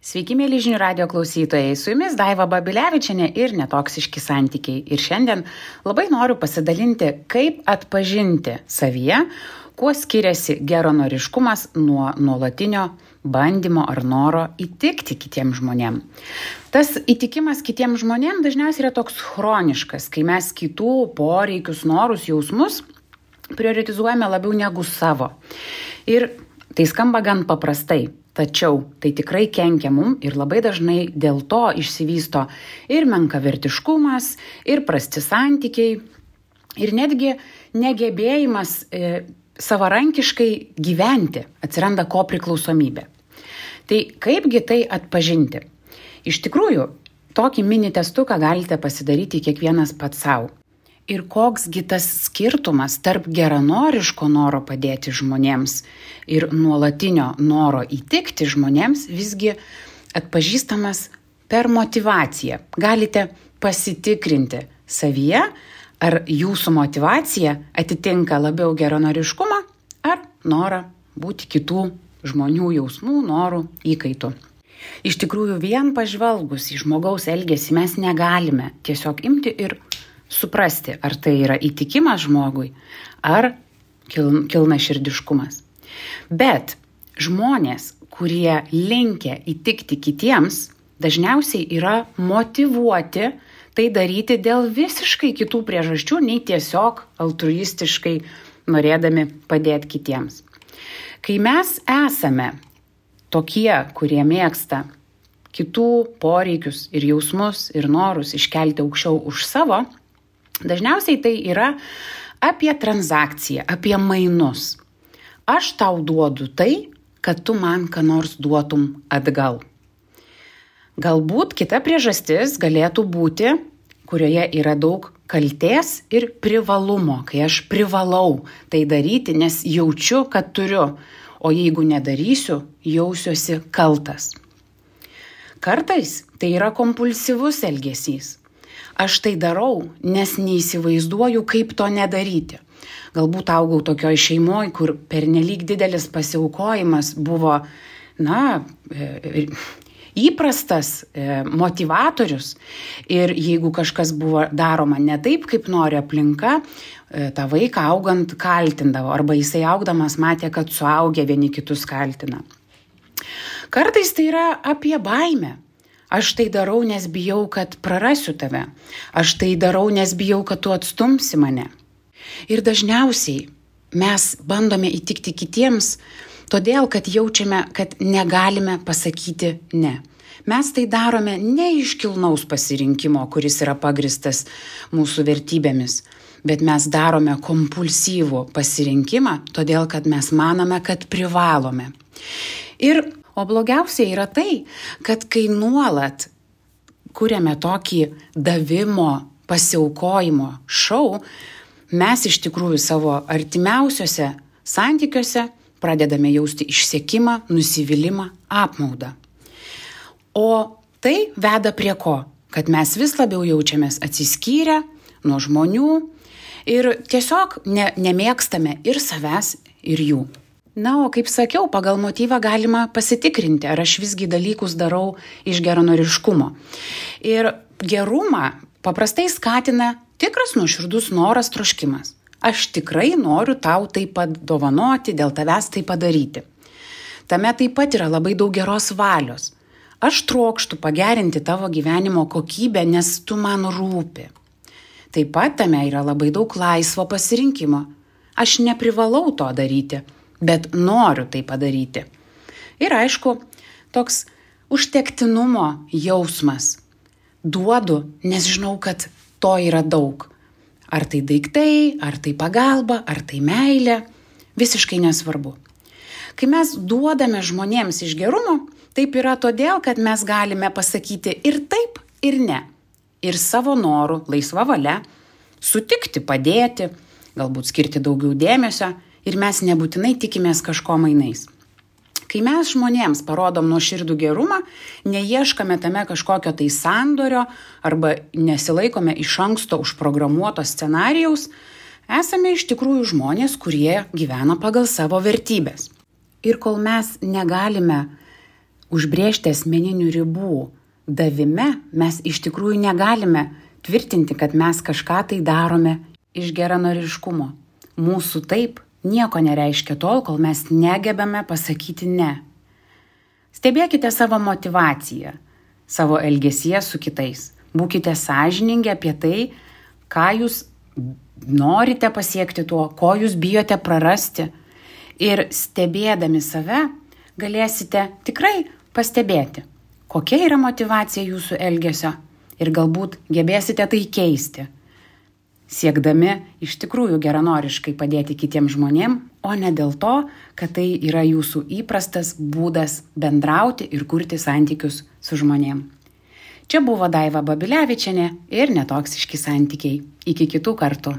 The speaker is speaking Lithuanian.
Sveiki, mėly žinių radio klausytojai, su jumis Daiva Babilevičienė ir netoksiški santykiai. Ir šiandien labai noriu pasidalinti, kaip atpažinti savyje, kuo skiriasi geranoriškumas nuo nuolatinio bandymo ar noro įtikti kitiems žmonėms. Tas įtikimas kitiems žmonėms dažniausiai yra toks chroniškas, kai mes kitų poreikius, norus, jausmus prioritizuojame labiau negu savo. Ir tai skamba gan paprastai. Tačiau tai tikrai kenkia mum ir labai dažnai dėl to išsivysto ir menkavertiškumas, ir prasti santykiai, ir netgi negebėjimas savarankiškai gyventi, atsiranda kopriklausomybė. Tai kaipgi tai atpažinti? Iš tikrųjų, tokį mini testuką galite pasidaryti kiekvienas pats savo. Ir koksgi tas skirtumas tarp geranoriško noro padėti žmonėms ir nuolatinio noro įtikti žmonėms visgi atpažįstamas per motyvaciją. Galite pasitikrinti savyje, ar jūsų motyvacija atitinka labiau geranoriškumą ar norą būti kitų žmonių jausmų, norų įkaitų. Iš tikrųjų, vien pažvelgus į žmogaus elgesį mes negalime tiesiog imti ir suprasti, ar tai yra įtikimas žmogui, ar kilnaširdiškumas. Bet žmonės, kurie linkę įtikti kitiems, dažniausiai yra motyvuoti tai daryti dėl visiškai kitų priežasčių, nei tiesiog altruistiškai norėdami padėti kitiems. Kai mes esame tokie, kurie mėgsta kitų poreikius ir jausmus ir norus iškelti aukščiau už savo, dažniausiai tai yra apie transakciją, apie mainus. Aš tau duodu tai, kad tu man ką nors duotum atgal. Galbūt kita priežastis galėtų būti, kurioje yra daug kaltės ir privalumo, kai aš privalau tai daryti, nes jaučiu, kad turiu, o jeigu nedarysiu, jausiuosi kaltas. Kartais tai yra kompulsyvus elgesys. Aš tai darau, nes neįsivaizduoju, kaip to nedaryti. Galbūt augau tokioj šeimoje, kur pernelyg didelis pasiaukojimas buvo, įprastas motivatorius. Ir jeigu kažkas buvo daroma ne taip, kaip nori aplinka, tą vaiką augant kaltindavo. Arba jisai augdamas matė, kad suaugę vieni kitus kaltina. Kartais tai yra apie baimę. Aš tai darau, nes bijau, kad prarasiu tave. Aš tai darau, nes bijau, kad tu atstumsi mane. Ir dažniausiai mes bandome įtikti kitiems, todėl, kad jaučiame, kad negalime pasakyti ne. Mes tai darome ne iš kilnaus pasirinkimo, kuris yra pagristas mūsų vertybėmis, bet mes darome kompulsyvų pasirinkimą, todėl, kad mes manome, kad privalome. O blogiausia yra tai, kad kai nuolat kuriame tokį davimo, pasiaukojimo šou, mes iš tikrųjų savo artimiausiuose santykiuose pradedame jausti išsekimą, nusivylimą, apmaudą. O tai veda prie ko? Kad mes vis labiau jaučiamės atsiskyrę nuo žmonių ir tiesiog nemėgstame ir savęs, ir jų. O kaip sakiau, pagal motyvą galima pasitikrinti, ar aš visgi dalykus darau iš geranoriškumo. Ir gerumą paprastai skatina tikras nuoširdus noras, troškimas. Aš tikrai noriu tau tai padovanoti, dėl tavęs tai padaryti. Tame taip pat yra labai daug geros valios. Aš trokštu pagerinti tavo gyvenimo kokybę, nes tu man rūpi. Taip pat tame yra labai daug laisvo pasirinkimo. Aš neprivalau to daryti, bet noriu tai padaryti. Ir aišku, toks užtektinumo jausmas. Duodu, nes žinau, kad to yra daug. Ar tai daiktai, ar tai pagalba, ar tai meilė, visiškai nesvarbu. Kai mes duodame žmonėms iš gerumo, taip yra todėl, kad mes galime pasakyti ir taip, ir ne. Ir savo norų, laisva valia, sutikti, padėti, galbūt skirti daugiau dėmesio, ir mes nebūtinai tikimės kažko mainais. Kai mes žmonėms parodom nuoširdų gerumą, neieškame tame kažkokio tai sandorio arba nesilaikome iš anksto užprogramuoto scenarijaus, esame iš tikrųjų žmonės, kurie gyvena pagal savo vertybės. Ir kol mes negalime užbrėžti asmeninių ribų davime mes iš tikrųjų negalime tvirtinti, kad mes kažką tai darome iš geranoriškumo. Mūsų taip nieko nereiškia tol, kol mes negebame pasakyti ne. Stebėkite savo motyvaciją, savo elgesyje su kitais. Būkite sąžiningi apie tai, ką jūs norite pasiekti tuo, ko jūs bijote prarasti. Ir stebėdami save galėsite tikrai pastebėti, kokia yra motyvacija jūsų elgesio ir galbūt gebėsite tai keisti, siekdami iš tikrųjų geranoriškai padėti kitiems žmonėms, o ne dėl to, kad tai yra jūsų įprastas būdas bendrauti ir kurti santykius su žmonėms. Čia buvo Daiva Babilevičienė ir Netoksiški santykiai. Iki kitų kartų.